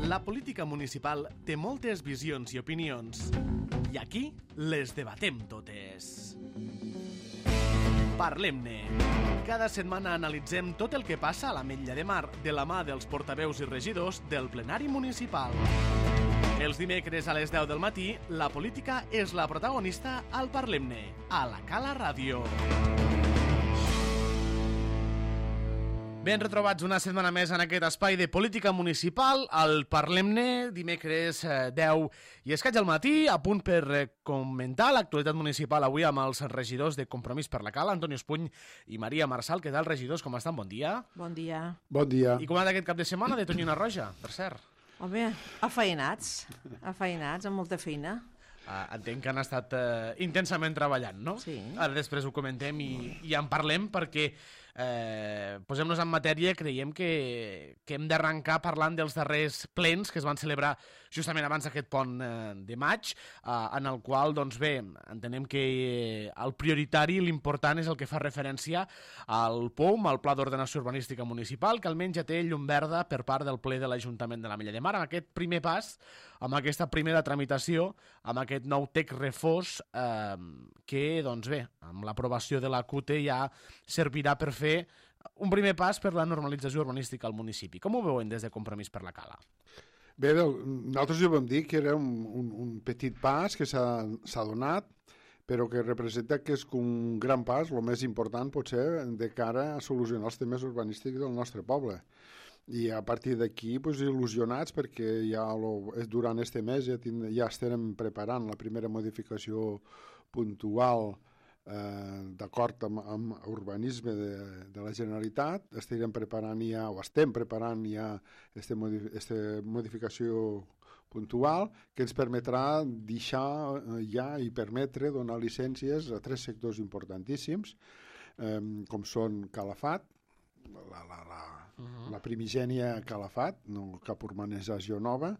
La política municipal té moltes visions i opinions, i aquí les debatem totes. Parlem-ne. Cada setmana analitzem tot el que passa a l'Ametlla de Mar de la mà dels portaveus i regidors del plenari municipal. Els dimecres a les 10 del matí, la política és la protagonista al Parlem-ne, a la Cala Ràdio. Ben retrobats una setmana més en aquest espai de política municipal, al Parlem-ne, dimecres 10 i escaig al matí, a punt per comentar l'actualitat municipal avui amb els regidors de Compromís per la Cala, Antoni Espuny i Maria Marçal. Què tal, regidors? Com estan? Bon dia. Bon dia. Bon dia. I com ha anat aquest cap de setmana de Tonyina Roja, per cert? Home, afeinats, amb molta feina. Entenc que han estat intensament treballant, no? Sí. Ara després ho comentem i en parlem perquè posem-nos en matèria. Creiem que hem d'arrencar parlant dels darrers plens que es van celebrar justament abans d'aquest pont de maig, en el qual, doncs bé, entenem que el prioritari i l'important és el que fa referència al POM, al Pla d'Ordenació Urbanística Municipal, que almenys ja té llum verda per part del ple de l'Ajuntament de l'Ametlla de Mar. Amb aquest primer pas, amb aquesta primera tramitació, amb aquest nou text refós que, doncs bé, amb l'aprovació de la CUTE ja servirà per fer un primer pas per la normalització urbanística al municipi. Com ho veuen des de Compromís per la Cala? Bé, nosaltres ja vam dir que era un petit pas que s'ha donat, però que representa que és un gran pas, el més important potser, de cara a solucionar els temes urbanístics del nostre poble. I a partir d'aquí, il·lusionats, perquè ja durant este mes ja estem preparant la primera modificació puntual d'acord amb urbanisme de la Generalitat. Estem preparant ja aquesta modificació puntual que ens permetrà deixar ja i permetre donar llicències a 3 sectors importantíssims, com són Calafat, la primigènia Calafat, no cap urbanització nova,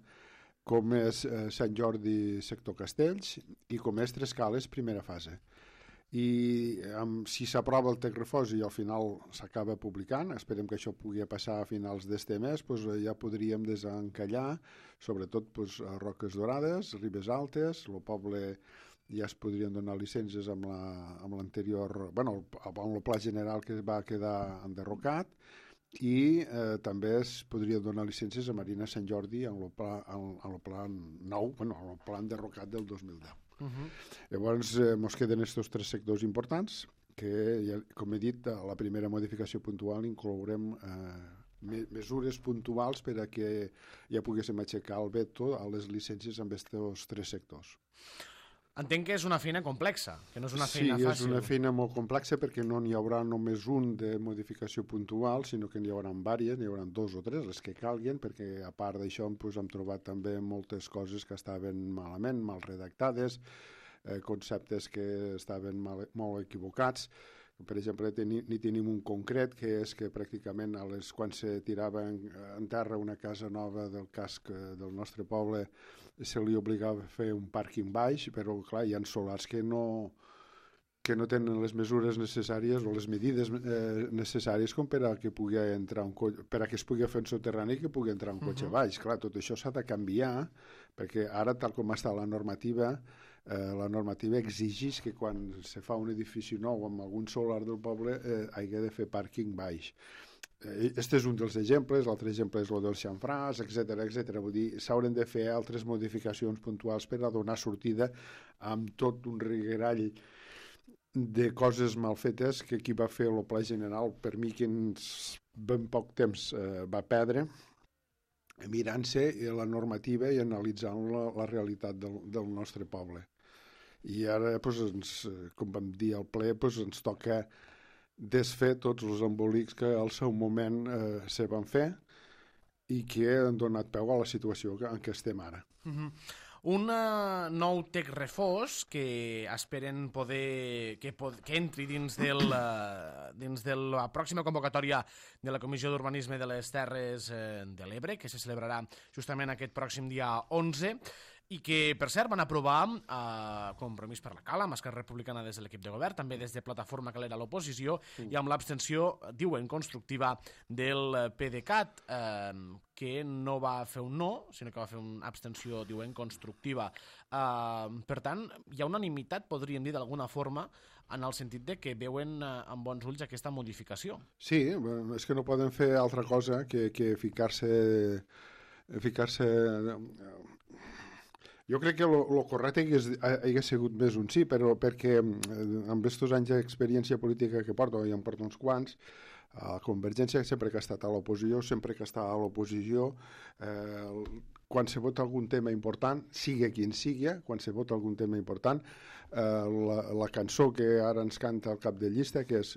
com és Sant Jordi sector Castells i com és Tres Cales primera fase. I si s'aprova el text refós i al final s'acaba publicant, esperem que això pugui passar a finals d'este mes, ja podríem desencallar sobretot a Roques Dorades, Ribes Altes, el poble ja es podrien donar llicències amb l'anterior, amb el pla general que va quedar enderrocat, i també es podria donar llicències a Marina Sant Jordi en el pla nou, en el pla enderrocat del 2010. Llavors ens queden aquests 3 sectors importants que, com he dit, a la primera modificació puntual inclourem mesures puntuals per a que ja poguéssim aixecar el veto a les llicències amb aquests 3 sectors. Entenc que és una feina complexa, que no és una feina fàcil. Sí, és una feina molt complexa perquè no n'hi haurà només un de modificació puntual, sinó que n'hi haurà diverses, n'hi haurà 2 o 3, les que calguin, perquè a part d'això hem trobat també moltes coses que estaven malament, mal redactades, conceptes que estaven molt equivocats. Per exemple, n'hi tenim un concret, que és que pràcticament quan se tirava en terra una casa nova del casc del nostre poble se li obligava a fer un pàrquing baix, però clar, hi ha solars que no tenen les mesures necessàries o les medides necessàries com per a que pugui entrar per a que es pugui fer un soterrani i que pugui entrar un cotxe baix. Clar, tot això s'ha de canviar, perquè ara, tal com està la normativa exigeix que quan se fa un edifici nou amb algun solar del poble hagi de fer pàrquing baix. Este és un dels exemples, l'altre exemple és el del xamfràs, etc. Vull dir, s'hauran de fer altres modificacions puntuals per a donar sortida amb tot un reguerall de coses mal fetes que qui va fer el pla general, per mi que en ben poc temps va perdre, mirant-se la normativa i analitzant la realitat del nostre poble. I ara, com vam dir al ple, ens toca desfer tots els embolics que al seu moment se van fer i que han donat peu a la situació en què estem ara. Un nou text refós que esperen que entri dins de la pròxima convocatòria de la Comissió d'Urbanisme de les Terres de l'Ebre, que se celebrarà justament aquest pròxim dia 11. i que, per cert, van aprovar Compromís per la Cala, amb Esquerra Republicana des de l'equip de govern, també des de Plataforma que era l'oposició, i amb l'abstenció, diuen, constructiva del PDeCAT, que no va fer un no, sinó que va fer una abstenció, diuen, constructiva. Per tant, hi ha unanimitat, podríem dir d'alguna forma, en el sentit de que veuen amb bons ulls aquesta modificació. Sí, és que no poden fer altra cosa que ficar-se... Jo crec que el correcte hagués sigut més un sí, però perquè amb aquests anys d'experiència política que porto, i en porto uns quants, Convergència sempre que ha estat a l'oposició, quan se vota algun tema important, sigui quin sigui, quan se vota algun tema important, la cançó que ara ens canta al cap de llista, que és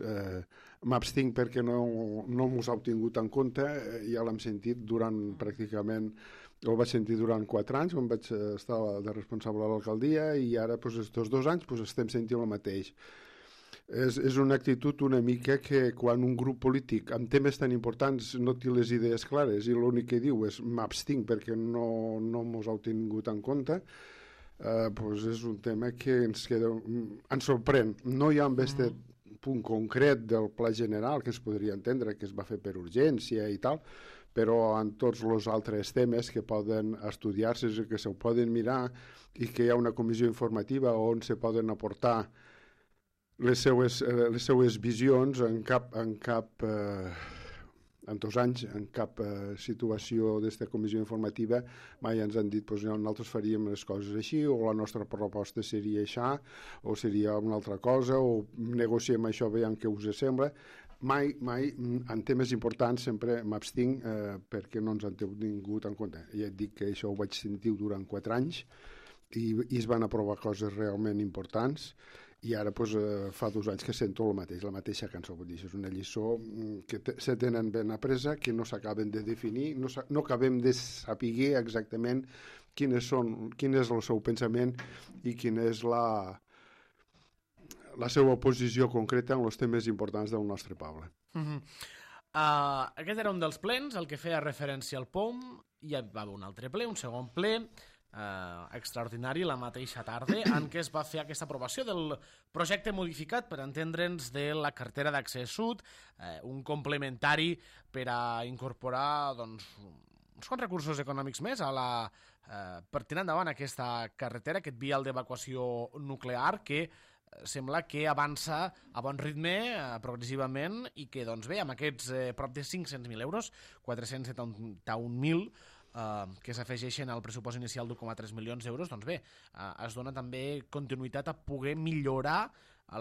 m'abstinc perquè no m'ho ha tingut en compte, ja l'hem sentit durant pràcticament... Ho vaig sentir durant 4 anys, on vaig estar de responsable a l'alcaldia, i ara, aquests 2 anys, estem sentint el mateix. És una actitud una mica que quan un grup polític amb temes tan importants no té les idees clares i l'únic que diu és m'abstinc perquè no m'ho heu tingut en compte, és un tema que ens sorprèn. No hi ha amb aquest punt concret del pla general que es podria entendre que es va fer per urgència i tal, però en tots els altres temes que poden estudiar-se, que se poden mirar i que hi ha una comissió informativa on se poden aportar les seues visions en 2 anys, en cap situació d'esta comissió informativa mai ens han dit que nosaltres faríem les coses així, o la nostra proposta seria això, o seria una altra cosa, o negociem això, veiem què us sembla. Mai, en temes importants sempre m'abstinc perquè no ens han tingut en compte. Ja et dic que això ho vaig sentir durant 4 anys i es van aprovar coses realment importants, i ara fa 2 anys que sento la mateixa cançó. Vull dir, és una lliçó que se tenen ben apresa, que no s'acaben de definir, no acabem de saber exactament quin és el seu pensament i quina és la seva posició concreta en els temes importants del nostre poble. Aquest era un dels plens, el que feia referència al POM. Hi va haver un altre ple, un segon ple, extraordinari la mateixa tarda, en què es va fer aquesta aprovació del projecte modificat, per entendre'ns, de la cartera d'accés sud, un complementari per a incorporar uns quants recursos econòmics més per tirar endavant aquesta carretera, aquest vial d'evacuació nuclear que sembla que avança a bon ritme, progressivament, i que, doncs bé, amb aquests prop de 500.000 euros, 471.000, que s'afegeixen al pressupost inicial d'1,3 milions d'euros, doncs bé, es dona també continuïtat a poder millorar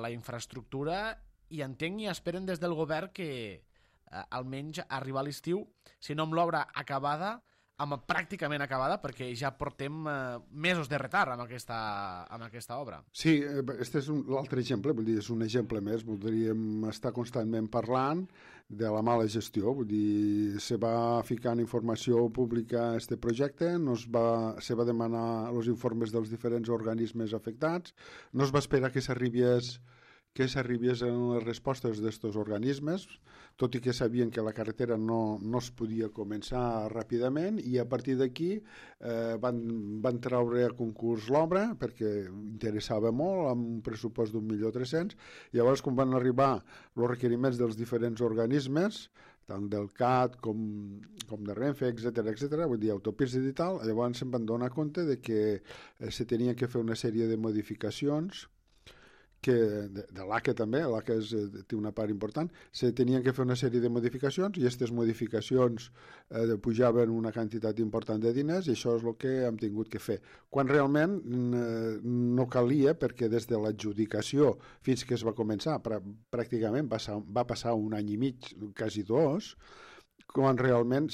la infraestructura, i entenc i esperen des del govern que almenys arribar a l'estiu, si no amb l'obra acabada, pràcticament acabada, perquè ja portem mesos de retard amb aquesta obra. Sí, este és l'altre exemple, vull dir, és un exemple més, voldríem estar constantment parlant de la mala gestió, vull dir, se va ficar en informació pública este projecte, se va demanar els informes dels diferents organismes afectats, no es va esperar que s'arribies en les respostes d'aquests organismes, tot i que sabien que la carretera no es podia començar ràpidament, i a partir d'aquí van treure a concurs l'obra perquè interessava molt, amb un pressupost d'1.300.000. Llavors, quan van arribar els requeriments dels diferents organismes, tant del CAT com de Renfe, etc., vull dir, autopistes i tal, llavors se'n van donar compte de que se tenien que fer una sèrie de modificacions, de l'ACA també, l'ACA té una part important, se tenien que fer una sèrie de modificacions, i aquestes modificacions pujaven una quantitat important de diners, i això és el que hem tingut que fer. Quan realment no calia, perquè des de l'adjudicació fins que es va començar, pràcticament va passar 1 any i mig, quasi 2, quan realment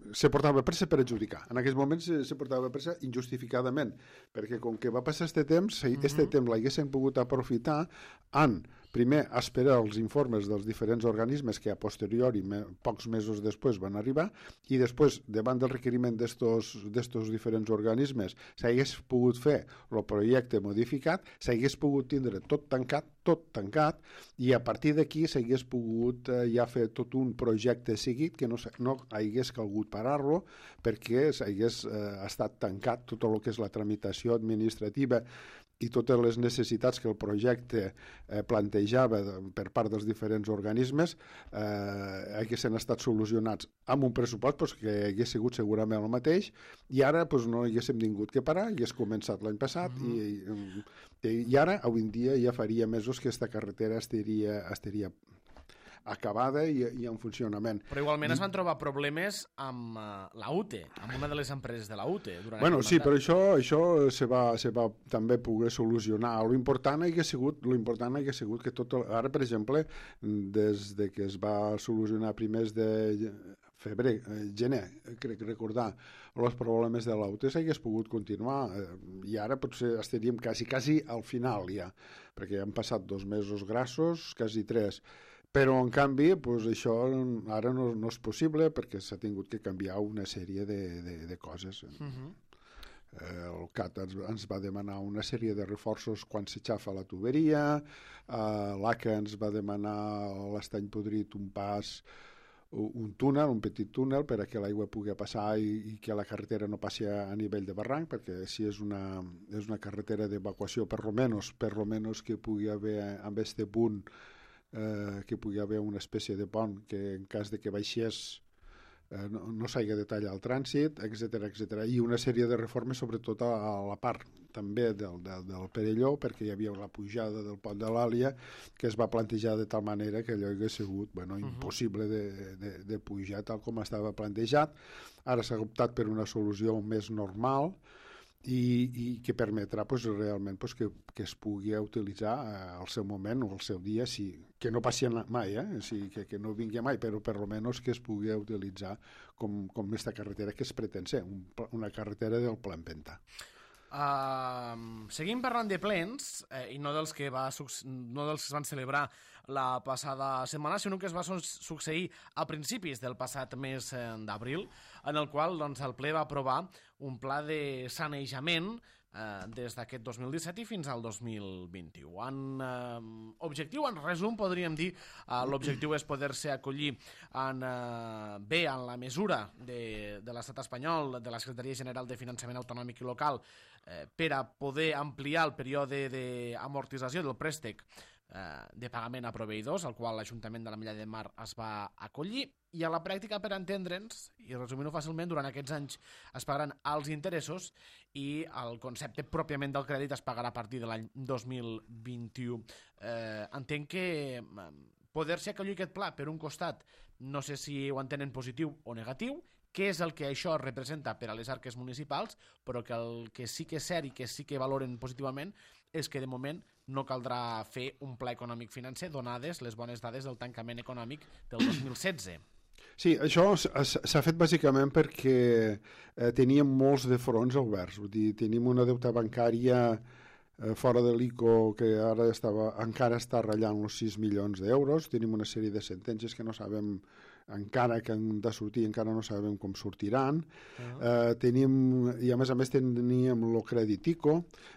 se portava pressa per adjudicar. En aquells moments se portava pressa injustificadament, perquè com que va passar aquest temps l'haguessin pogut aprofitar en primer esperar els informes dels diferents organismes que a posteriori, pocs mesos després, van arribar, i després, davant del requeriment d'estos diferents organismes, s'hagués pogut fer el projecte modificat, s'hagués pogut tindre tot tancat, i a partir d'aquí s'hagués pogut ja fer tot un projecte seguit que no hagués calgut parar-lo perquè s'hagués estat tancat tot el que és la tramitació administrativa i totes les necessitats que el projecte plantejava per part dels diferents organismes haguessin estat solucionats amb un pressupost que hagués sigut segurament el mateix, i ara no haguéssim tingut que parar, hagués començat l'any passat i ara, avui en dia, ja faria mesos que aquesta carretera estaria acabada i en funcionament. Però igualment es van trobar problemes amb la UTE, amb una de les empreses de la UTE. Sí, però això se va també poder solucionar. L'important hagués sigut que tot... Ara, per exemple, des de que es va solucionar primers de gener, crec recordar, els problemes de la UTE s'hagués pogut continuar i ara potser estaríem quasi al final ja, perquè han passat 2 mesos grassos, quasi 3. Però, en canvi, això ara no és possible perquè s'ha tingut que canviar una sèrie de coses. El CAT ens va demanar una sèrie de reforços quan s'aixafa la tuberia, l'ACA ens va demanar l'estany podrit un túnel, un petit túnel per a que l'aigua pugui passar i que la carretera no passi a nivell de barranc, perquè si és una carretera d'evacuació, per lo menos que pugui haver amb este punt que pugui haver una espècie de pont que en cas de que baixés no s'hagi de tallar el trànsit, etc. I una sèrie de reformes sobretot a la part també del Perelló, perquè hi havia la pujada del pont de l'Àlia que es va plantejar de tal manera que allò hagués sigut impossible de pujar tal com estava plantejat. Ara s'ha optat per una solució més normal i que permetrà realment que es pugui utilitzar al seu moment o al seu dia, que no passi mai, que no vingui mai, però per almenys que es pugui utilitzar com aquesta carretera que es pretén ser, una carretera del Pla Empenta. Seguim parlant de plens i no dels que es van celebrar la passada setmana, sinó que es va succeir a principis del passat mes d'abril, en el qual el ple va aprovar un pla de sanejament des d'aquest 2017 i fins al 2021. Objectiu, en resum, podríem dir, l'objectiu és poder-se acollir en la mesura de l'estat espanyol, de la Secretaria General de Finançament Autonòmic i Local, per a poder ampliar el període d'amortització del préstec de pagament a proveïdors, al qual l'Ajuntament de l'Ametlla de Mar es va acollir, i a la pràctica, per entendre'ns, i resumint-ho fàcilment, durant aquests anys es pagaran els interessos i el concepte pròpiament del crèdit es pagarà a partir de l'any 2021. Entenc que poder-se acollir aquest pla, per un costat, no sé si ho entenen positiu o negatiu, què és el que això representa per a les arques municipals, però que el que sí que és cert i que sí que valoren positivament és que de moment no caldrà fer un pla econòmic financer donades les bones dades del tancament econòmic del 2016. Sí, això s'ha fet bàsicament perquè teníem molts de fronts oberts. Vull dir, tenim una deuta bancària fora de l'ICO que ara encara està ratllant els 6 milions d'euros. Tenim una sèrie de sentències que no sabem encara que han de sortir, encara no sabem com sortiran. I a més teníem el crèdit ICO,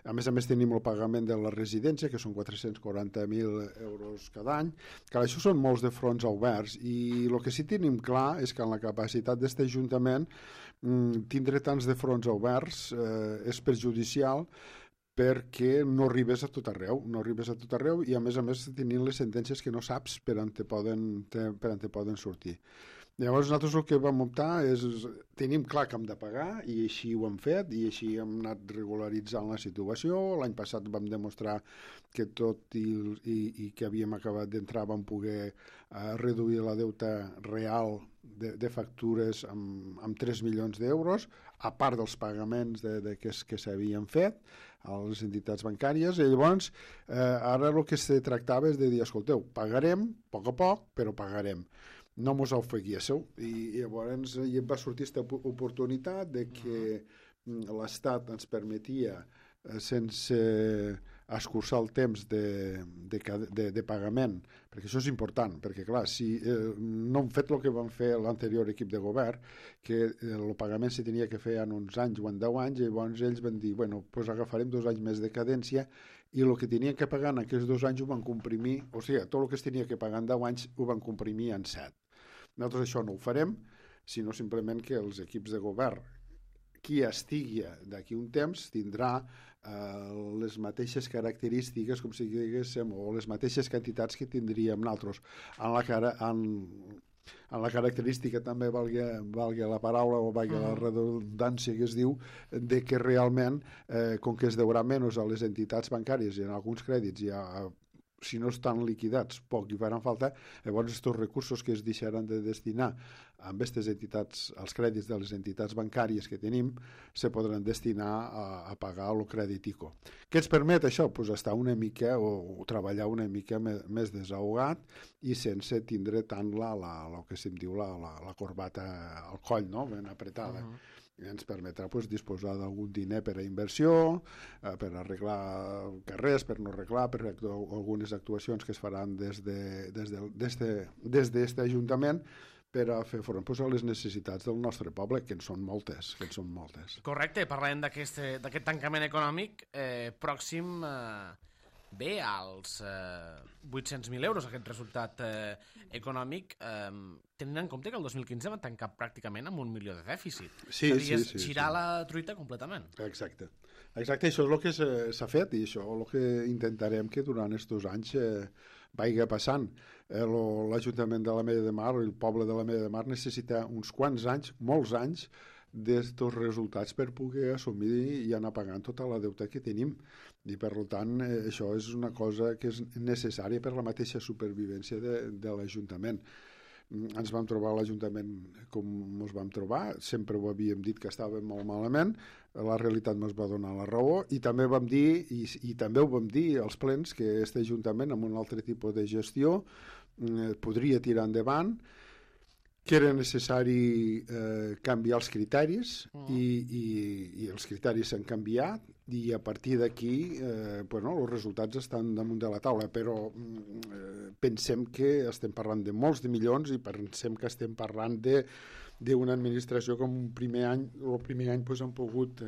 a més tenim el pagament de la residència, que són 440.000 euros cada any, que això són molts de fronts oberts, i el que sí tenim clar és que en la capacitat d'aquest Ajuntament tindre tants de fronts oberts és perjudicial perquè no arribes a tot arreu, i a més tenint les sentències que no saps per on te poden sortir. Llavors nosaltres el que vam optar és, tenim clar que hem de pagar i així ho hem fet i així hem anat regularitzant la situació. L'any passat vam demostrar que tot i que havíem acabat d'entrar vam poder reduir la deuta real de factures amb 3 milions d'euros, a part dels pagaments que s'havien fet a les entitats bancàries. I llavors ara el que se tractava és de dir, escolteu, pagarem a poc, però pagarem. No mos ofeguéssiu. I llavors va sortir aquesta oportunitat de que l'Estat ens permetia, sense escurçar el temps de pagament, perquè això és important, perquè clar, si no han fet el que van fer l'anterior equip de govern, que el pagament se tenia que fer en uns anys o en 10 anys, i llavors ells van dir, bueno, doncs agafarem 2 anys més de cadència, i el que tenien que pagar en aquests 2 anys ho van comprimir, o sigui, tot el que es tenia que pagar en 10 anys ho van comprimir en 7. Nosaltres això no ho farem, sinó simplement que els equips de govern, qui estigui d'aquí un temps, tindrà les mateixes característiques, com si diguéssim, o les mateixes quantitats que tindríem nosaltres. En la característica també valga la paraula o valga la redundància que es diu, de que realment, com que es deurà menys a les entitats bancàries i en alguns crèdits si no estan liquidats, poc hi faran falta, llavors aquests recursos que es deixaran de destinar amb aquestes entitats, als crèdits de les entitats bancàries que tenim, se podran destinar a pagar el crèdit ICO. Què ens permet això? Pues estar una mica o treballar una mica més desahogat i sense tindre tant el que se'm diu la corbata al coll, no? Ben apretada. Ens permetrà disposar d'algun diner per a inversió, per arreglar carrers, per no arreglar, per algunes actuacions que es faran des d'aquest Ajuntament per a fer front a les necessitats del nostre poble, que en són moltes. Correcte, parlem d'aquest tancament econòmic pròxim bé als 800.000 euros, aquest resultat econòmic, tenint en compte que el 2015 van tancar pràcticament amb 1 milió de dèficit. Sí. Girar la truita completament. Exacte, això és el que s'ha fet i això és el que intentarem que durant aquests 2 anys vagi passant. L'Ajuntament de l'Ametlla de Mar, el poble de l'Ametlla de Mar necessita uns quants anys, molts anys, d'estos resultats per poder assumir i anar pagant tota la deuta que tenim. I per tant això és una cosa que és necessària per la mateixa supervivència de l'Ajuntament. Ens vam trobar a l'Ajuntament com ens vam trobar, sempre ho havíem dit que estàvem molt malament, la realitat ens va donar la raó i també vam dir, i també ho vam dir als plens, que aquest Ajuntament amb un altre tipus de gestió podria tirar endavant, que era necessari canviar els criteris i els criteris s'han canviat i a partir d'aquí els resultats estan damunt de la taula, però pensem que estem parlant de molts de milions i pensem que estem parlant d'una administració que el primer any han pogut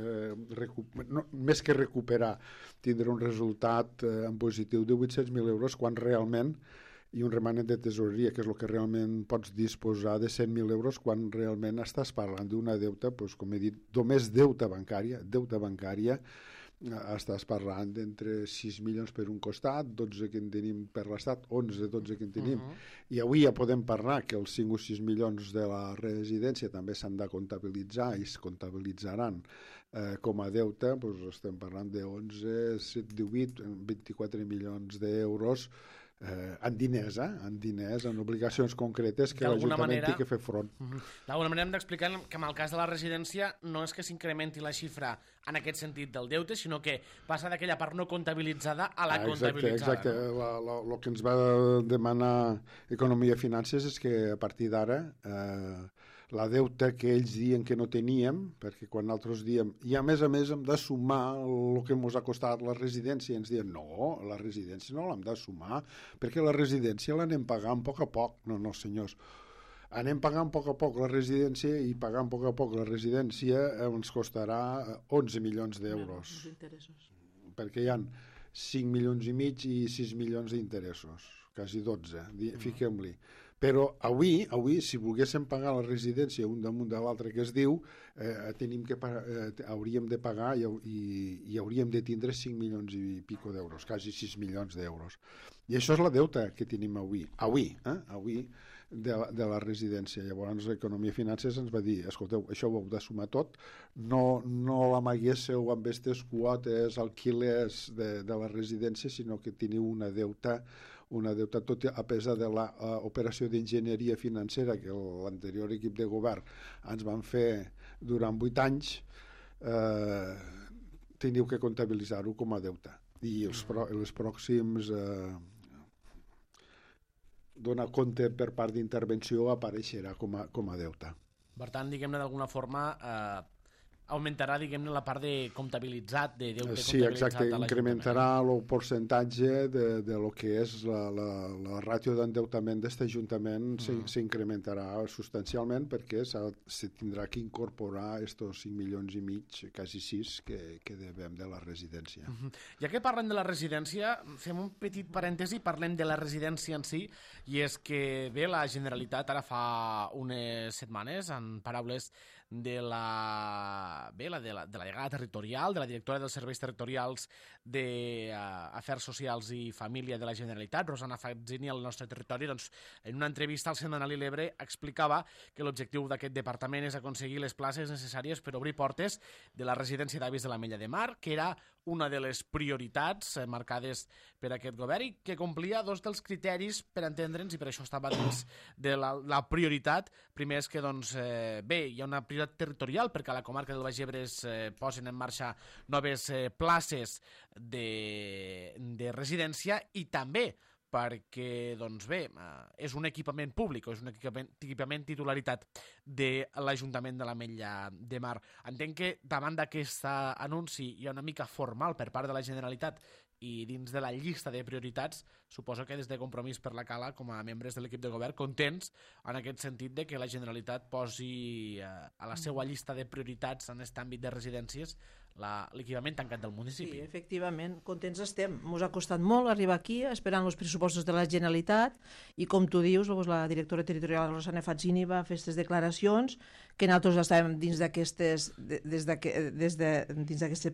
més que recuperar, tindre un resultat en positiu de 800.000 euros quan realment i un remanent de tesoreria, que és el que realment pots disposar de 100.000 euros quan realment estàs parlant d'una deuta, com he dit, només deuta bancària, estàs parlant d'entre 6 milions per un costat, 12 que en tenim per l'Estat, 11-12 que en tenim, i avui ja podem parlar que els 5 o 6 milions de la residència també s'han de comptabilitzar i es comptabilitzaran com a deute, estem parlant de 11, 7, 18, 24 milions d'euros en diners, en obligacions concretes que l'Ajuntament té que fer front. D'alguna manera hem d'explicar que en el cas de la residència no és que s'incrementi la xifra en aquest sentit del deute, sinó que passa d'aquella part no comptabilitzada a la comptabilitzada. Exacte. El que ens va demanar Economia i Finances és que a partir d'ara la deuta que ells diuen que no teníem, perquè quan nosaltres diem i a més hem de sumar el que ens ha costat la residència, ens diuen no, la residència no l'hem de sumar, perquè la residència l'anem pagant a poc a poc. No, senyors, anem pagant a poc a poc la residència i pagant a poc la residència ens costarà 11 milions d'euros. Perquè hi ha 5 milions i mig i 6 milions d'interessos, quasi 12, fiquem-li. Però avui, si volguéssim pagar la residència un damunt de l'altre que es diu, hauríem de pagar i hauríem de tindre 5 milions i pico d'euros, quasi 6 milions d'euros. I això és la deuta que tenim avui de la residència. Llavors l'Economia i Finances ens va dir, escolteu, això ho heu de sumar tot, no l'amaguésseu amb aquestes quotes alquilers de la residència, sinó que teniu una deuta tot a pesar de l'operació d'enginyeria financera que l'anterior equip de govern ens van fer durant 8 anys, teniu que comptabilitzar-ho com a deuta. I els pròxims donar compte per part d'intervenció apareixerà com a deuta. Per tant, diguem-ne d'alguna forma, augmentarà, diguem-ne, la part de comptabilitzat, de deute Sí, comptabilitzat exacte, a l'Ajuntament. incrementarà el percentatge de lo que és la ràtio d'endeutament d'aquest Ajuntament, s'incrementarà substancialment perquè se tindrà que incorporar estos 5 milions i mig, quasi 6, que devem de la residència. Ja que parlem de la residència, fem un petit parèntesi, parlem de la residència en si, i és que bé, la Generalitat ara fa unes setmanes, en paraules de la delegada territorial, de la directora dels serveis territorials d'Afers Socials i Família de la Generalitat, Rosana Fazzini, al nostre territori, doncs, en una entrevista al setmanari L'Ebre explicava que l'objectiu d'aquest departament és aconseguir les places necessàries per obrir portes de la residència d'avis de l'Ametlla de Mar, que era una de les prioritats marcades per aquest govern i que complia dos dels criteris per entendre'ns, i per això estava dins de la prioritat. Primer és que, doncs, bé, hi ha una prioritat territorial perquè a la comarca del Baix Ebre es posen en marxa noves places de residència i també perquè, doncs bé, és un equipament públic, és un equipament titularitat de l'Ajuntament de l'Ametlla de Mar. Entenc que davant d'aquest anunci hi ha una mica formal per part de la Generalitat i dins de la llista de prioritats, suposo que des de Compromís per la Cala, com a membres de l'equip de govern, contents en aquest sentit de que la Generalitat posi a la seva llista de prioritats en aquest àmbit de residències l'equipament tancat del municipi. Sí, efectivament, contents estem. Ens ha costat molt arribar aquí, esperant els pressupostos de la Generalitat, i com tu dius, la directora territorial Rosana Fazzini va fer aquestes declaracions, que nosaltres estàvem dins d'aquesta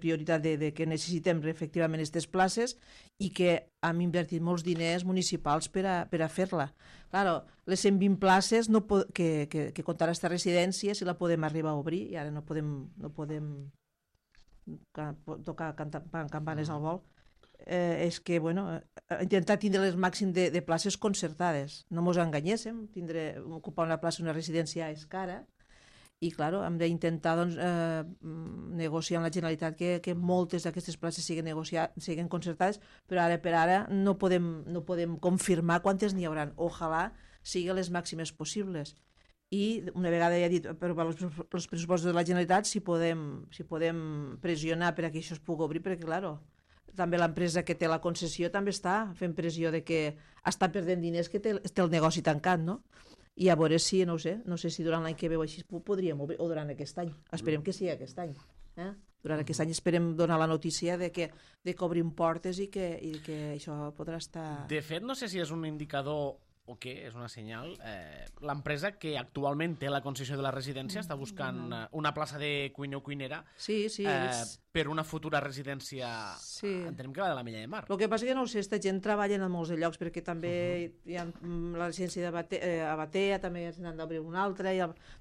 prioritat de que necessitem efectivament aquestes places i que hem invertit molts diners municipals per a fer-la. Claro, les 120 places que comptarà aquesta residència, si la podem arribar a obrir, i ara no podem tocar campanes al vol, és que, intentar tindre el màxim de places concertades. No ens enganyéssim, ocupar una plaça en una residència és cara, i, clar, hem d'intentar negociar amb la Generalitat que moltes d'aquestes places siguin concertades, però ara per ara no podem confirmar quantes n'hi haurà. Ojalà siguin les màximes possibles. I una vegada ja dit per els pressupostos de la Generalitat, si podem pressionar per a que això es pugui obrir, perquè, clar, també l'empresa que té la concessió també està fent pressió de que està perdent diners, que té el negoci tancat, no? I a veure si, no sé si durant l'any que ve o així podríem obrir, o durant aquest any. Esperem que sigui aquest any. Durant aquest any esperem donar la notícia de que obrim portes i que això podrà estar... De fet, no sé si és un indicador o què, és una senyal. L'empresa que actualment té la concessió de la residència està buscant una plaça de cuiner o cuinera per una futura residència, entenem que la de l'Ametlla de Mar. El que passa que no ho sé, aquesta gent treballa en molts llocs, perquè també hi ha la residència a Batea, també se n'han d'obrir una altra,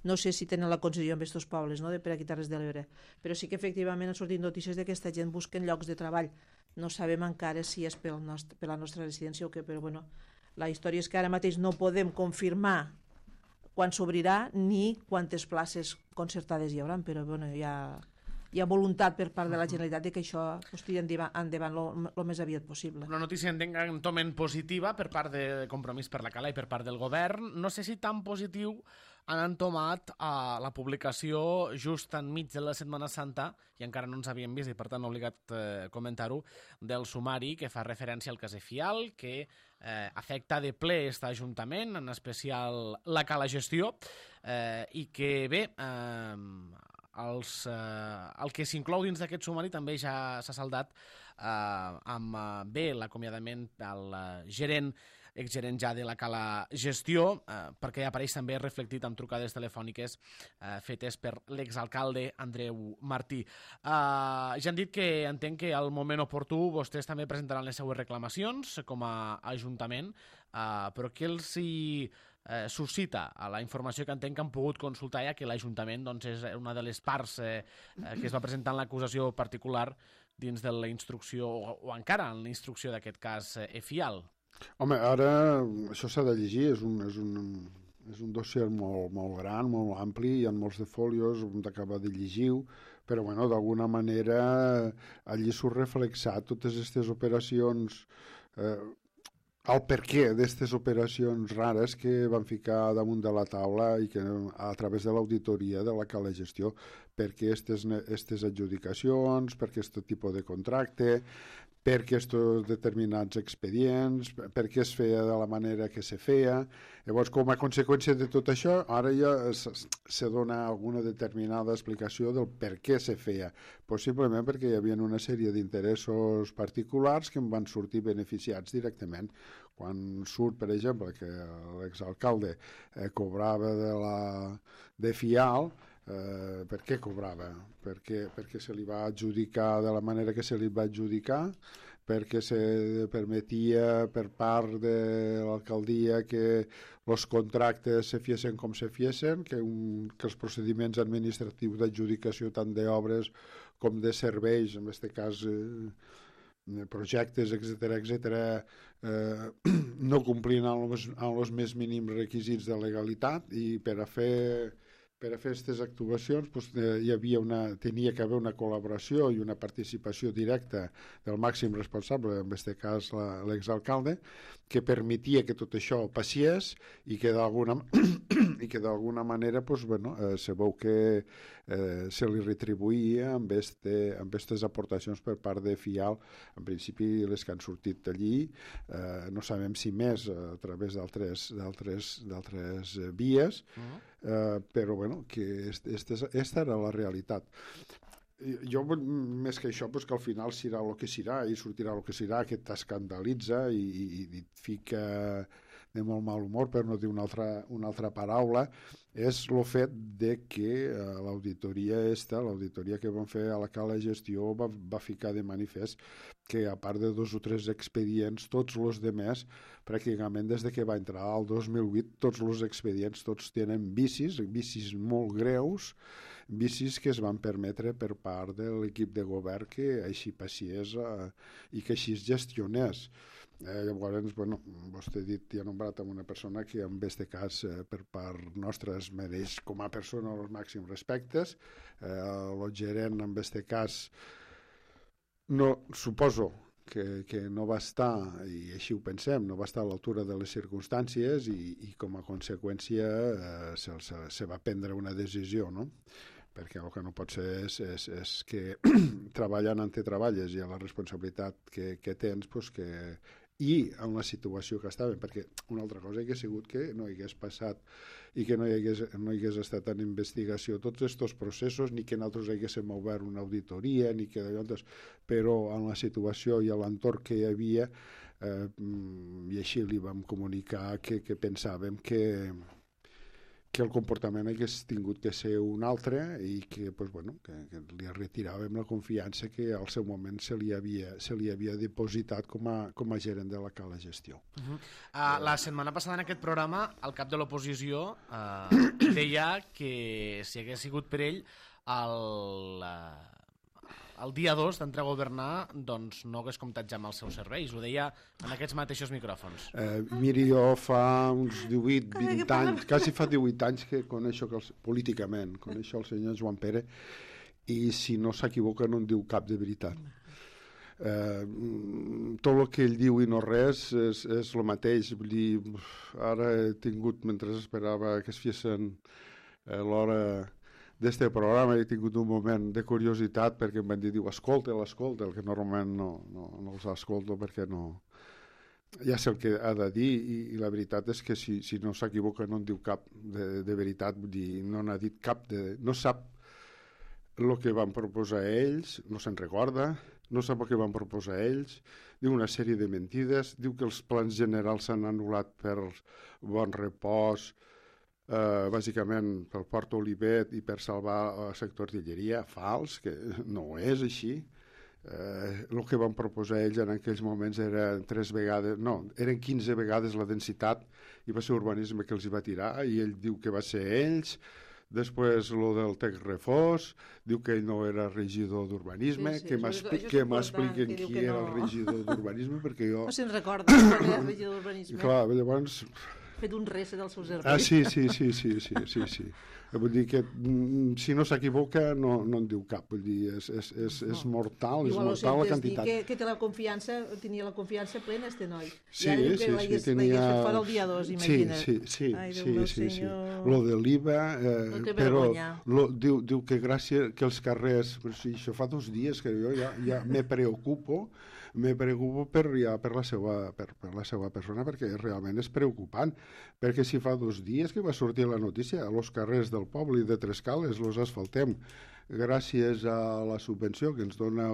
no sé si tenen la concessió en aquests pobles, per aquí Terres de l'Ebre, però sí que efectivament han sortit notícies d'aquesta gent busquen llocs de treball. No sabem encara si és per la nostra residència o què, però la història és que ara mateix no podem confirmar quan s'obrirà ni quantes places concertades hi haurà, però hi ha voluntat per part de la Generalitat de que això tiri endavant el més aviat possible. Una notícia entoment positiva per part de Compromís per la Cala i per part del govern. No sé si tan positiu han entomat la publicació just enmig de la Setmana Santa, i encara no ens havíem vist i per tant obligat comentar-ho, del sumari que fa referència al cas Efial, que afecta de ple aquest Ajuntament, en especial la Cala Gestió, i que bé, el que s'inclou dins d'aquest sumari també ja s'ha saldat amb l'acomiadament del exgerent ja de la Cala Gestió, perquè apareix també reflectit amb trucades telefòniques fetes per l'exalcalde Andreu Martí. Ja han dit que entenc que al moment oportú vostès també presentaran les seues reclamacions com a Ajuntament, però què els suscita a la informació que entenc que han pogut consultar ja que l'Ajuntament és una de les parts que es va presentar en l'acusació particular dins de la instrucció, o encara en la instrucció d'aquest cas Efial? Home, ara això s'ha de llegir, és un dossier molt gran, molt ampli, hi ha molts de folios, hem d'acabar de llegir-ho, però d'alguna manera allí surt reflexat totes aquestes operacions el perquè d'aquestes operacions rares que van ficar damunt de la taula i que a través de l'auditoria de la cala gestió, perquè aquestes adjudicacions, per aquest tipus de contracte, per aquests determinats expedients, per què es feia de la manera que se feia. Llavors, com a conseqüència de tot això, ara ja se dona alguna determinada explicació del per què se feia. Possiblement perquè hi havia una sèrie d'interessos particulars que en van sortir beneficiats directament. Quan surt, per exemple, que l'exalcalde cobrava de Fial, per què cobrava? Perquè se li va adjudicar de la manera que se li va adjudicar, perquè se permetia per part de l'alcaldia que els contractes se fiessin com se fiessin, que els procediments administratius d'adjudicació tant d'obres com de serveis, en aquest cas projectes, etc., no complien amb els més mínims requisits de legalitat, i per a fer aquestes actuacions tenia que haver una col·laboració i una participació directa del màxim responsable, en aquest cas l'exalcalde, que permetia que tot això passés i que d'alguna manera se veu que se li retribuïa amb aquestes aportacions per part de Fial, en principi les que han sortit d'allí, no sabem si més a través d'altres vies, però que aquesta era la realitat. Jo, més que això, que al final serà el que serà i sortirà el que serà, que t'escandalitza i et fica de molt mal humor, per no dir una altra paraula, és el fet de que l'auditoria que van fer a la cala gestió va ficar de manifest que, a part de 2 o 3 expedients, tots els demés, pràcticament des de que va entrar al 2008, tots els expedients tenen vicis molt greus, vicis que es van permetre per part de l'equip de govern que així passés i que així es gestionés. Llavors, vostè ha dit i ha nombrat amb una persona que en aquest cas per part nostra es mereix com a persona els màxims respectes. El gerent en aquest cas suposo que no va estar, i així ho pensem, no va estar a l'altura de les circumstàncies i com a conseqüència se va prendre una decisió, no? Perquè el que no pot ser és que treballant on te treballes i a la responsabilitat que tens, i en la situació que estàvem, perquè una altra cosa hauria sigut que no hagués passat i que no hi hagués estat en investigació tots aquests processos, ni que nosaltres haguéssim obert una auditoria, ni que però en la situació i a l'entorn que hi havia, i així li vam comunicar que pensàvem que el comportament hagués tingut que ser un altre i que li retiràvem la confiança que al seu moment se li havia depositat com a gerent de la cala gestió. La setmana passada en aquest programa el cap de l'oposició deia que si hagués sigut per ell el dia 2 d'entrar a governar doncs no hagués comptat ja amb els seus serveis. Ho deia en aquests mateixos micròfons. Miri, jo fa uns 18-20 anys, quasi fa 18 anys que coneixo políticament, coneixo el senyor Joan Pere, i si no s'equivoca no en diu cap de veritat. Tot el que ell diu i no res és el mateix. Vull dir, ara he tingut, mentre esperava que es fessin l'hora d'este programa, he tingut un moment de curiositat perquè em van dir, escolta, el que normalment no els escolto perquè no... Ja sé el que ha de dir i la veritat és que si no s'equivoca no en diu cap de veritat, vull dir, no n'ha dit cap no sap el que van proposar ells, no se'n recorda, no sap el que van proposar ells, diu una sèrie de mentides, diu que els plans generals s'han anul·lat per bon repòs, bàsicament pel Port Olivet i per salvar el sector artilleria, fals, que no és així. El que van proposar ells en aquells moments eren 15 vegades la densitat i va ser urbanisme que els hi va tirar i ell diu que va ser ells. Després el del Tec Refós, diu que ell no era regidor d'urbanisme, que m'expliquen qui era el regidor d'urbanisme, perquè jo... No se'n recorda que era regidor d'urbanisme. Clar, llavors... fet un reset del seu cervell. Ah, sí. Vull dir que si no s'equivoca no en diu cap, vull dir, és mortal, és mortal la quantitat. Que té la confiança, tenia la confiança plena este noi. Sí, I ara diu que sí, l'hagués fet fora el dia 2, imagina't. Sí. Ai, Déu meu senyor. Lo de l'IVA, però diu que gràcies que els carrers, però si això fa 2 dies que jo ja me preocupo per la seva persona, perquè realment és preocupant, perquè si fa 2 dies que va sortir la notícia, els carrers del poble i de Trescales els asfaltem gràcies a la subvenció que ens dona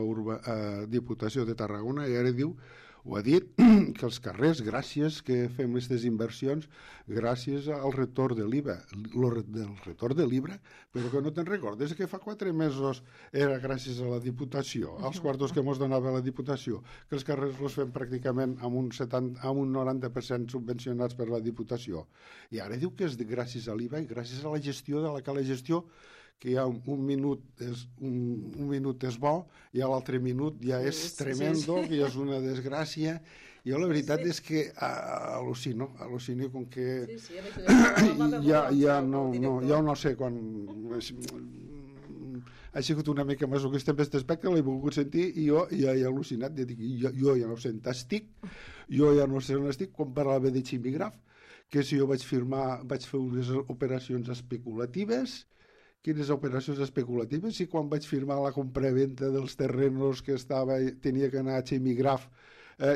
Diputació de Tarragona, i ara diu, ho ha dit, que els carrers, gràcies que fem aquestes inversions, gràcies al retorn de l'IVA. El retorn de l'IVA, però que no te'n recordes que fa 4 mesos era gràcies a la Diputació, als quartos que ens donava la Diputació, que els carrers els fem pràcticament amb un 90% subvencionats per la Diputació. I ara diu que és gràcies a l'IVA i gràcies a la gestió de la gestió, que hi ha un minut és bo i a l'altre minut ja és tremendo, que ja és una desgràcia. Jo la veritat és que al·lucino com que ja no sé quan ha sigut una mica masoquista en aquest aspecte, l'he volgut sentir i jo ja he al·lucinat, jo ja no sé on estic, jo ja no sé on estic, quan parlava de ximigraf, que si jo vaig fer unes operacions especulatives. Quines operacions especulatives? I quan vaig firmar la compraventa dels terrenos que tenia que anar a Ximigraf,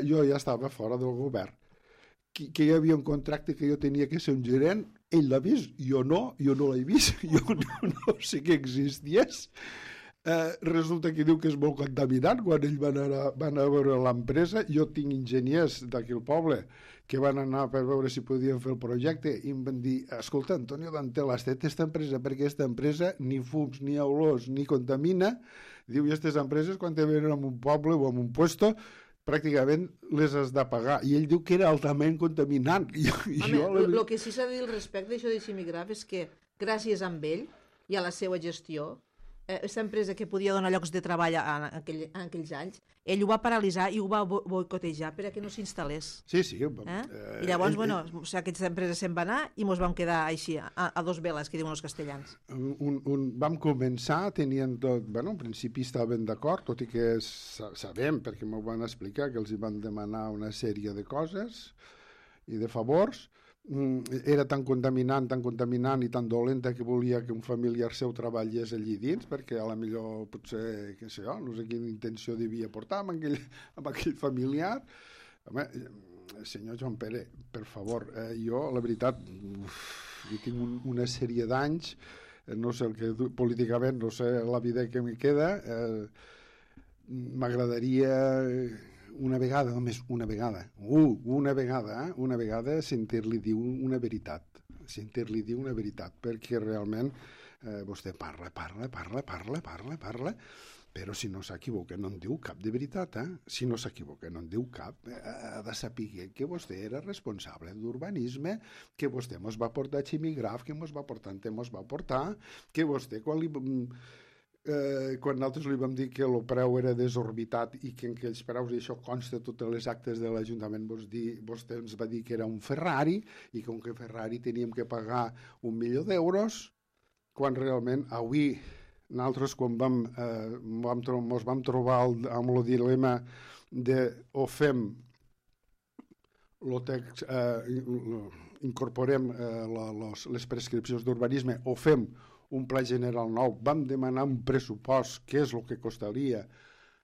jo ja estava fora del govern. Que hi havia un contracte que jo tenia que ser un gerent, ell l'ha vist, jo no l'he vist, jo no sé que existís. Resulta que diu que és molt contaminant. Quan ell van anar a veure l'empresa, jo tinc enginyers d'aquí al poble que van anar per veure si podien fer el projecte i em van dir, escolta, Antonio Dantel, has fet aquesta empresa perquè aquesta empresa ni fums, ni olors, ni contamina. Diu, i aquestes empreses quan te venen en un poble o en un puesto pràcticament les has de pagar. I ell diu que era altament contaminant. El que sí s'ha de dir al respecte d'això de Ximigraf és que gràcies a ell i a la seva gestió, aquesta empresa que podia donar llocs de treball en aquells anys, ell ho va paralitzar i ho va boicotejar perquè no s'instal·lés. Sí. I llavors, aquesta empresa se'n va anar i ens vam quedar així, a 2 veles, que diuen els castellans. Vam començar, tenien tot... en principi estaven d'acord, tot i que sabem, perquè m'ho van explicar, que els hi van demanar una sèrie de coses i de favors. Era tan contaminant i tan dolenta que volia que un familiar seu treballés allí dins, perquè a la millor potser, no sé quina intenció devia portar amb aquell familiar. Home, senyor Joan Pere, per favor, jo la veritat jo tinc una sèrie d'anys, no sé el que políticament, no sé la vida que me queda, m'agradaria una vegada sentir-li dir una veritat, perquè realment vostè parla, però si no s'equivoca no en diu cap de veritat, si no s'equivoca no en diu cap, ha de saber que vostè era responsable d'urbanisme, que vostè mos va portar a Ximigraf, que mos va portar, que vostè quan nosaltres li vam dir que el preu era desorbitat i que en aquells preus, i això consta totes les actes de l'Ajuntament, vostè ens va dir que era un Ferrari i com que Ferrari teníem que pagar 1 milió d'euros, quan realment avui nosaltres quan ens vam trobar amb el dilema de o fem incorporem les prescripcions d'urbanisme o fem un pla general nou, vam demanar un pressupost, què és el que costaria,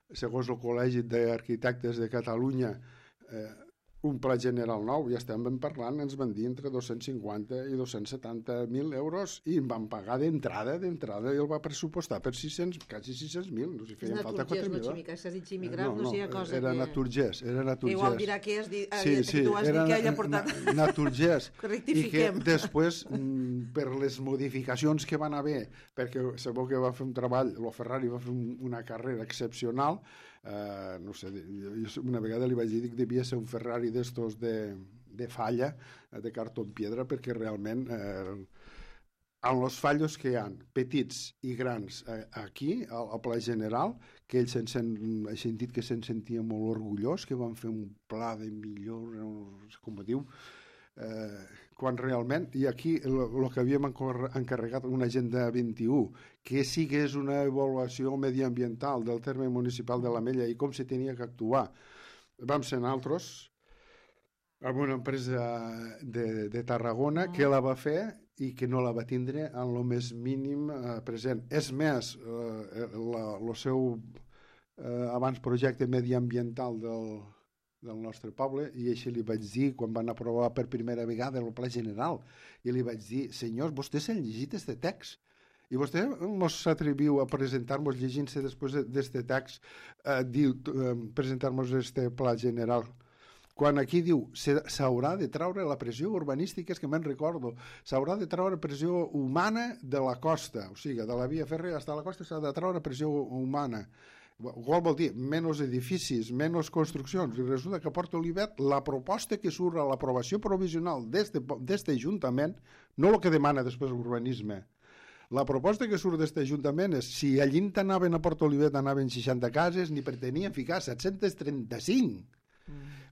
segons el Col·legi d'Arquitectes de Catalunya, un pla general nou, ja estem parlant, ens van dir entre 250 i 270.000 euros i em van pagar d'entrada i el va pressupostar per quasi 600.000, no sé si feien falta 4.000. S'ha dit Ximigraf, no sé cosa que... Era Naturgès. Igual dirà que tu has dit que ella ha portat... Naturgès. Rectifiquem. I que després, per les modificacions que van haver, perquè sabeu que va fer un treball, el Ferrari va fer una carrera excepcional, no sé, una vegada li vaig dir que devia ser un Ferrari d'estos de falla, de cartó en piedra, perquè realment amb els fallos que hi ha, petits i grans aquí, al Pla General, que ell he sentit que se'n sentia molt orgullós, que van fer un pla de millor, no sé com ho diu, quan realment, i aquí el que havíem encarregat una agenda 21, que sigués una avaluació mediambiental del terme municipal de l'Ametlla i com se tenia que actuar, vam ser nosaltres amb una empresa de Tarragona que la va fer i que no la va tindre en el més mínim present. És més, el seu abans projecte mediambiental del nostre poble, i així li vaig dir quan van aprovar per primera vegada el pla general, i li vaig dir, senyors, vostès s'han llegit este text i vostè ens s'atreviu a presentar-nos llegint-se després d'este text presentar-nos este pla general, quan aquí diu s'haurà de traure la pressió urbanística, és que me'n recordo, s'haurà de traure pressió humana de la costa, o sigui, de la via fèrrea fins a la costa s'ha de traure pressió humana. Qual vol dir? Menys edificis, menys construccions. I resulta que a Port Olivet la proposta que surt a l'aprovació provisional d'este Ajuntament, no el que demana després l'urbanisme, la proposta que surt d'este Ajuntament és si allí anaven a Port Olivet anaven 60 cases, ni pretenien ficar 735.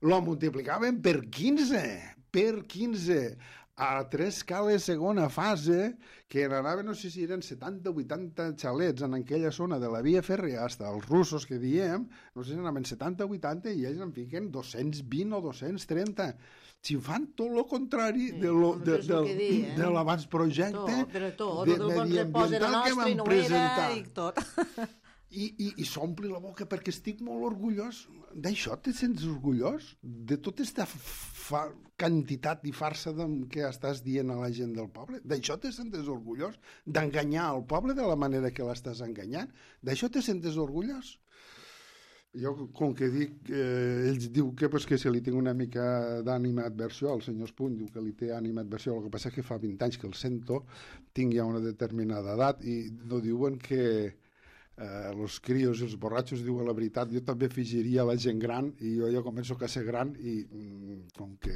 Lo multiplicaven per 15. A 3 cales segona fase, que n'anaven, no sé si eren 70 o 80 xalets en aquella zona de la via fèrrea, fins als russos que diem, no sé si anaven 70 o 80 i ells en fiquen 220 o 230. Si fan tot el contrari de l'abans projecte de mediambiental que van presentar. I s'ompli la boca perquè estic molt orgullós. D'això te sents orgullós? De tota aquesta quantitat i farsa que estàs dient a la gent del poble? D'això te sentes orgullós? D'enganyar el poble de la manera que l'estàs enganyant? D'això te sentes orgullós? Jo, com que dic, ells diu que se li tinc una mica d'ànima adversió, el senyor Espuny diu que li té ànima adversió, el que passa és que fa 20 anys que el sento, tinc ja una determinada edat i no diuen que els crios i els borratxos diuen la veritat. Jo també afegiria la gent gran i jo ja començo a ser gran i com que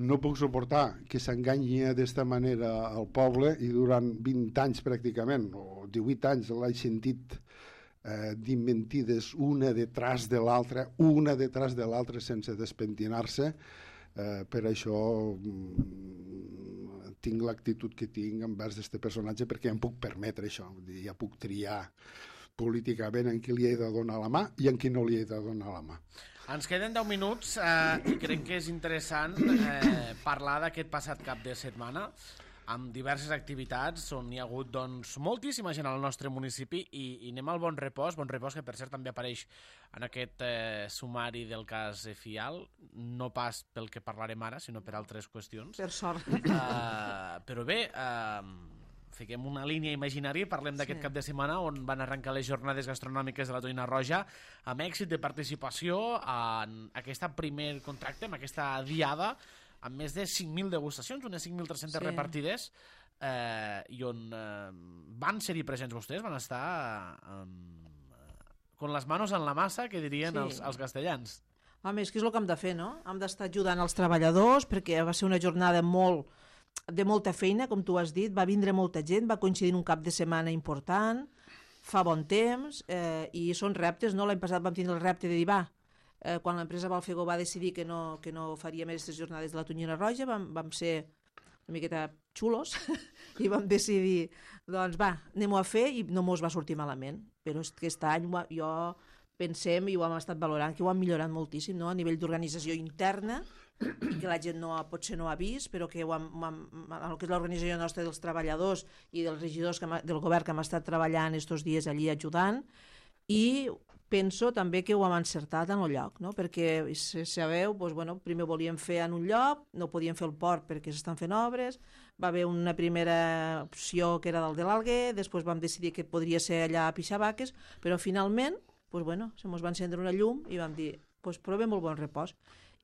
no puc suportar que s'enganyi d'esta manera al poble i durant 20 anys pràcticament o 18 anys l'he sentit dir mentides una detrás de l'altra sense despentinar-se. Per això tinc l'actitud que tinc envers d'aquest personatge perquè ja em puc permetre això, ja puc triar políticament en qui li he de donar la mà i en qui no li he de donar la mà. Ens queden 10 minuts i crec que és interessant parlar d'aquest passat cap de setmana amb diverses activitats on hi ha hagut doncs, moltíssima gent al nostre municipi i anem al Bon Repòs que per cert també apareix en aquest sumari del cas Fial, no pas pel que parlarem ara, sinó per altres qüestions. Per sort. Però bé, fiquem una línia imaginària i parlem d'aquest cap de setmana on van arrencar les jornades gastronòmiques de la Tonyina Roja amb èxit de participació en aquest primer contracte, en aquesta diada, amb més de 5.000 degustacions, unes 5.300 repartides, i on van ser-hi presents vostès, van estar con les manos en la massa, que dirien els castellans. Home, és que és el que hem de fer, no? Hem d'estar ajudant els treballadors, perquè va ser una jornada de molta feina, com tu has dit, va vindre molta gent, va coincidir un cap de setmana important, fa bon temps, i són reptes, no? L'any passat vam tindre el repte de dir, quan l'empresa Valfego va decidir que no faria més aquestes jornades de la Tonyina Roja, vam ser una miqueta xulos i vam decidir, doncs anem-ho a fer, i no mos va sortir malament. Però aquest any jo pensem, i ho hem estat valorant, que ho hem millorat moltíssim, no? A nivell d'organització interna, que la gent potser no ha vist, però que el que és l'organització nostra dels treballadors i dels regidors del govern que hem estat treballant estos dies allí ajudant, i penso també que ho hem encertat en el lloc, no? Perquè, sabeu, primer volíem fer en un lloc, no podíem fer el port perquè s'estan fent obres, va haver una primera opció que era del de l'Alguer, després vam decidir que podria ser allà a Pixabaques, però finalment se mos va encendre una llum i vam dir, provem el Bon Repòs.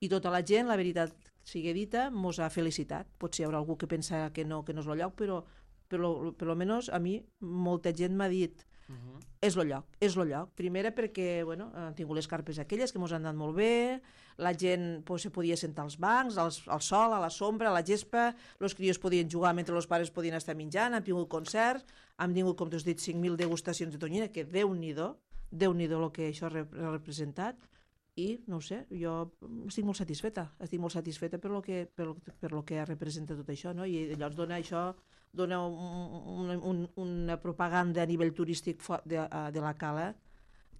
I tota la gent, la veritat sigui dita, mos ha felicitat. Potser hi haurà algú que pensa que no és el lloc, però per almenys a mi molta gent m'ha dit és el lloc. Primera perquè han tingut les carpes aquelles que ens han anat molt bé, la gent se podia sentar als bancs, al sol, a la sombra, a la gespa, els crios podien jugar mentre els pares podien estar menjant, hem tingut concerts, hem tingut, com t'has dit, 5.000 degustacions de tonyina, que Déu-n'hi-do el que això ha representat, i, no ho sé, jo estic molt satisfeta per lo que representa tot això, no? I llavors dona una propaganda a nivell turístic de la Cala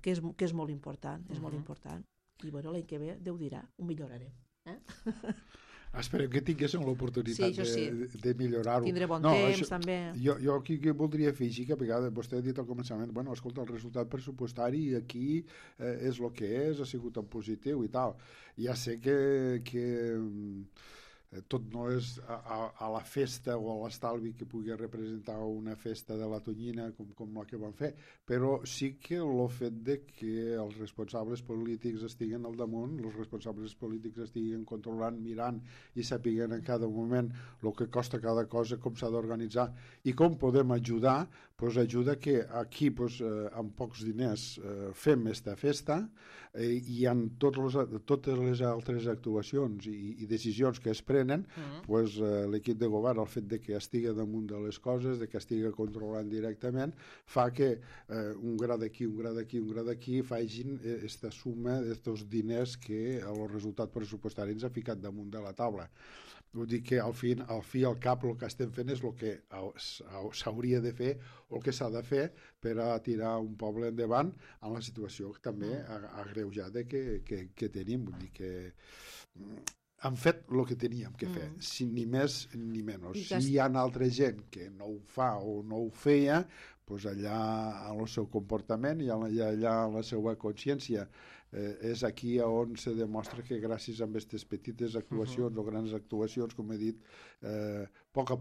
que és molt important, molt important. I bueno, l'any que ve Déu dirà, ho millorarem. Esperem que tinguéssim l'oportunitat de millorar-ho. Tindré bon temps, també. Jo aquí voldria afegir que a vegades vostè ha dit al començament, bueno, escolta, el resultat pressupostari aquí és el que és, ha sigut en positiu i tal. Ja sé que tot no és a la festa o a l'estalvi que pugui representar una festa de la Tonyina com la que van fer, però sí que el fet de que els responsables polítics estiguen al damunt, els responsables polítics estiguen controlant, mirant i sapiguen en cada moment el que costa cada cosa, com s'ha d'organitzar i com podem ajudar, doncs ajuda que aquí amb pocs diners fem esta festa i en totes les altres actuacions i decisions que es prenen, l'equip de govern, el fet de que estigui damunt de les coses, de que estigui controlant directament, fa que un gra d'aquí, un gra d'aquí, un gra d'aquí facin aquesta suma d'estos diners que el resultat pressupostari ens ha ficat damunt de la taula. Vull dir que al fi i al cap el que estem fent és el que s'hauria de fer o el que s'ha de fer per a tirar un poble endavant en la situació també agreujada que tenim. Vull dir que hem fet el que teníem que fer, ni més ni menys. Si hi ha altra gent que no ho fa o no ho feia, doncs allà en el seu comportament i allà en la seva consciència és aquí on se demostra que gràcies a aquestes petites actuacions o grans actuacions, com he dit, a poc a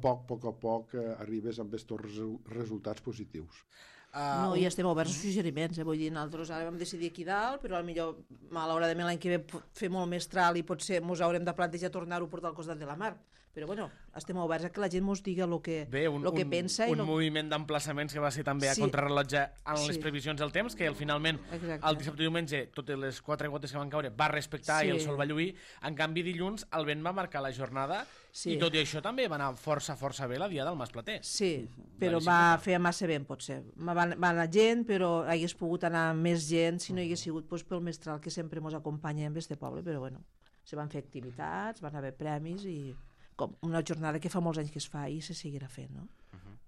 poc arribes amb aquests resultats positius. No, i estem oberts a suggeriments, vull dir, nosaltres ara vam decidir aquí dalt, però potser malauradament l'any que ve fer molt més tral i potser ens haurem de plantejar tornar-ho a portar al costat de la mar. Però bueno, estem oberts a que la gent ens digui el que pensa. Un moviment d'emplaçaments que va ser també a contrarrellotge en les previsions del temps, que finalment el dissabte i diumenge totes les 4 gotes que van caure va respectar i el sol va lluir. En canvi dilluns el vent va marcar la jornada i tot i això també va anar força bé la dia del Masplater. Sí, però va fer massa vent potser. Va anar gent, però hagués pogut anar més gent si no hi hagués sigut pel mestral que sempre ens acompanya en este poble, però bueno, se van fer activitats, van haver premis i com una jornada que fa molts anys que es fa i se seguirà fent, no?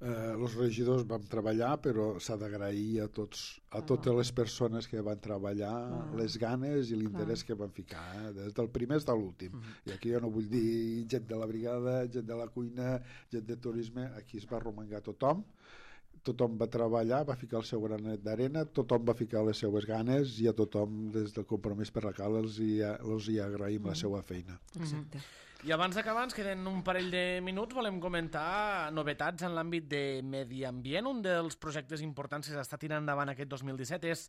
Els regidors vam treballar, però s'ha d'agrair a totes les persones que van treballar les ganes i l'interès que van ficar, des del primer fins a l'últim. I aquí jo no vull dir gent de la brigada, gent de la cuina, gent de turisme, aquí es va arromangar tothom va treballar, va ficar el seu granet d'arena, tothom va ficar les seues ganes i a tothom des del Compromís per la Cala els hi agraïm la seva feina. Exacte. I abans d'acabar, ens queden un parell de minuts, volem comentar novetats en l'àmbit de medi ambient. Un dels projectes importants que s'està tirant endavant aquest 2017 és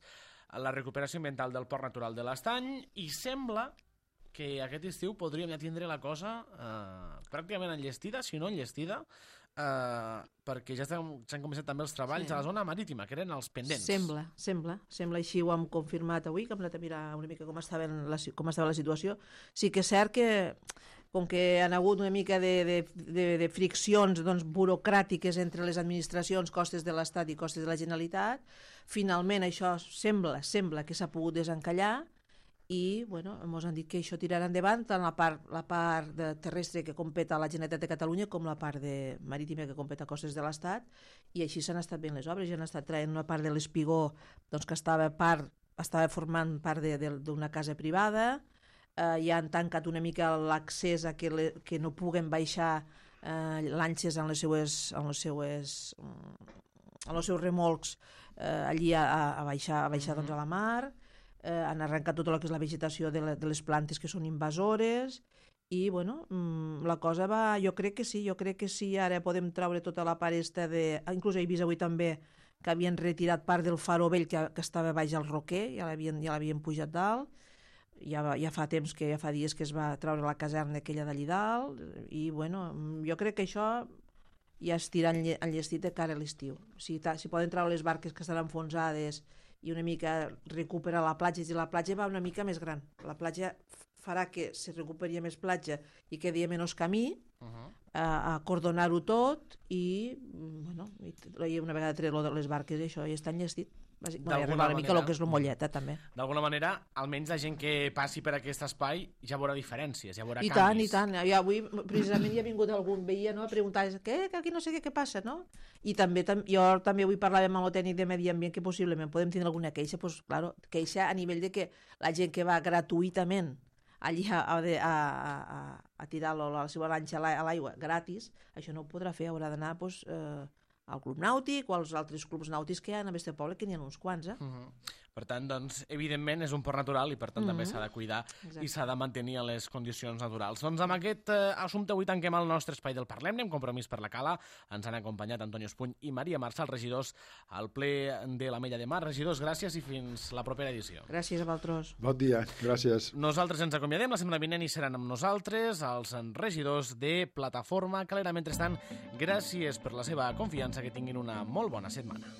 la recuperació ambiental del Port Natural de l'Estany i sembla que aquest estiu podríem ja tindre la cosa pràcticament enllestida, si no enllestida, perquè ja s'han començat també els treballs a la zona marítima, que eren els pendents. Sembla, així ho hem confirmat avui, que hem anat a mirar una mica com estava la situació. Sí que és cert que com que han hagut una mica de friccions burocràtiques entre les administracions, costes de l'Estat i costes de la Generalitat, finalment això sembla que s'ha pogut desencallar i ens han dit que això tirarà endavant tant la part terrestre que competa a la Generalitat de Catalunya com la part marítima que competa a costes de l'Estat, i així s'han estat fent les obres. Ja han estat traient una part de l'espigó que estava formant part d'una casa privada, ja han tancat una mica l'accés a que no puguen baixar lanxes en els seus remolcs allí a baixar a la mar. Han arrencat tot el que és la vegetació de les plantes que són invasores i la cosa va, jo crec que sí, ara podem traure tota la part inclús he vist avui també que havien retirat part del faro vell que estava baix al Roquer, ja l'havien pujat dalt. Ja fa temps, ja fa dies que es va treure la caserna aquella d'allí dalt i jo crec que això ja es tira enllestit de cara a l'estiu. Si poden treure les barques que estan enfonsades i una mica recuperar la platja, i la platja va una mica més gran. La platja farà que se recuperi més platja i quedi menys camí, a acordonar-ho tot i una vegada tret les barques això ja està enllestit. arreglar una mica el que és la molleta, també. D'alguna manera, almenys la gent que passi per aquest espai ja veurà diferències, ja veurà I canvis. tant. I avui, precisament, hi ha vingut algun veí a preguntar que aquí no sé què passa, no? I també jo també avui parlàvem amb el tècnic de Medi Ambient que possiblement podem tindre alguna queixa, doncs, claro, queixa a nivell de que la gent que va gratuïtament allí a tirar la seva lanxa a l'aigua gratis, això no ho podrà fer, haurà d'anar al Club Nàutic o als altres clubs nàutics que hi ha en aquest poble, que n'hi ha uns quants. Per tant, doncs, evidentment, és un port natural i, per tant, també s'ha de cuidar i s'ha de mantenir en les condicions naturals. Doncs amb aquest assumpte avui tanquem el nostre espai del Parlem-ne, amb Compromís per la Cala. Ens han acompanyat Antonio Espuny i Maria Marçal, regidors al ple de l'Ametlla de Mar. Regidors, gràcies i fins la propera edició. Gràcies a vosaltres. Bon dia, gràcies. Nosaltres ens acomiadem, la setmana vinent hi seran amb nosaltres els regidors de Plataforma Calera. Mentrestant, gràcies per la seva confiança, que tinguin una molt bona setmana.